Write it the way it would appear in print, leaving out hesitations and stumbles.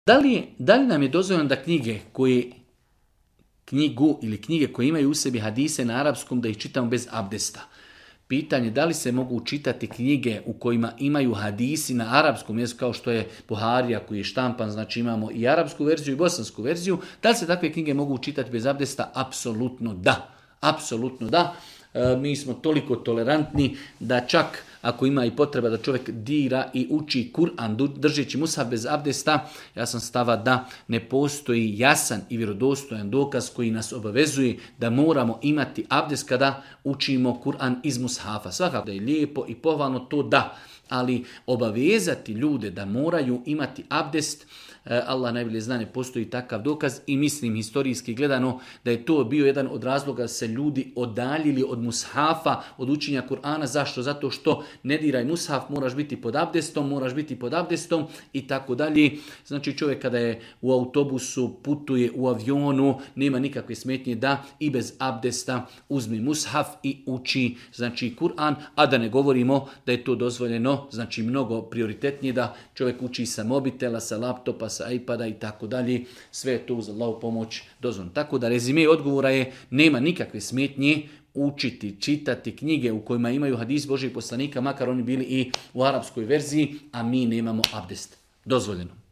Da li nam je dozvoljeno da knjige koje imaju u sebi hadise na arapskom da ih čitamo bez abdesta? Pitanje da li se mogu čitati knjige u kojima imaju hadisi na arapskom jeziku kao što je Buharija koji je štampan, znači imamo i arapsku verziju i bosansku verziju. Da li se takve knjige mogu čitati bez abdesta? Apsolutno da. Apsolutno da. Mi smo toliko tolerantni da čak ako ima i potreba da čovjek dira i uči Kur'an držeći mushaf bez abdesta, ja sam stava da ne postoji jasan i vjerodostojan dokaz koji nas obavezuje da moramo imati abdest kada učimo Kur'an iz mushafa. Svakako da je lijepo i pohvalno to da, ali obavezati ljude da moraju imati abdest, Allah najbolje zna, ne postoji takav dokaz i mislim historijski gledano da je to bio jedan od razloga da se ljudi odaljili od mushafa, od učenja Kur'ana. Zašto? Zato što ne diraj mushaf, moraš biti pod abdestom i tako dalje. Znači čovjek kada je u autobusu, putuje u avionu, nema nikakve smetnje da i bez abdesta uzme mushaf i uči znači Kur'an, a da ne govorimo da je to dozvoljeno, znači mnogo prioritetnije da čovjek uči sa mobitela, sa laptopa, sa iPada i tako dalje, sve je to uz Allahu pomoć dozvoljeno. Tako da rezime odgovora je nema nikakve smetnje učiti, čitati knjige u kojima imaju hadis Božjeg poslanika, makar oni bili i u arapskoj verziji, a mi nemamo abdest. Dozvoljeno.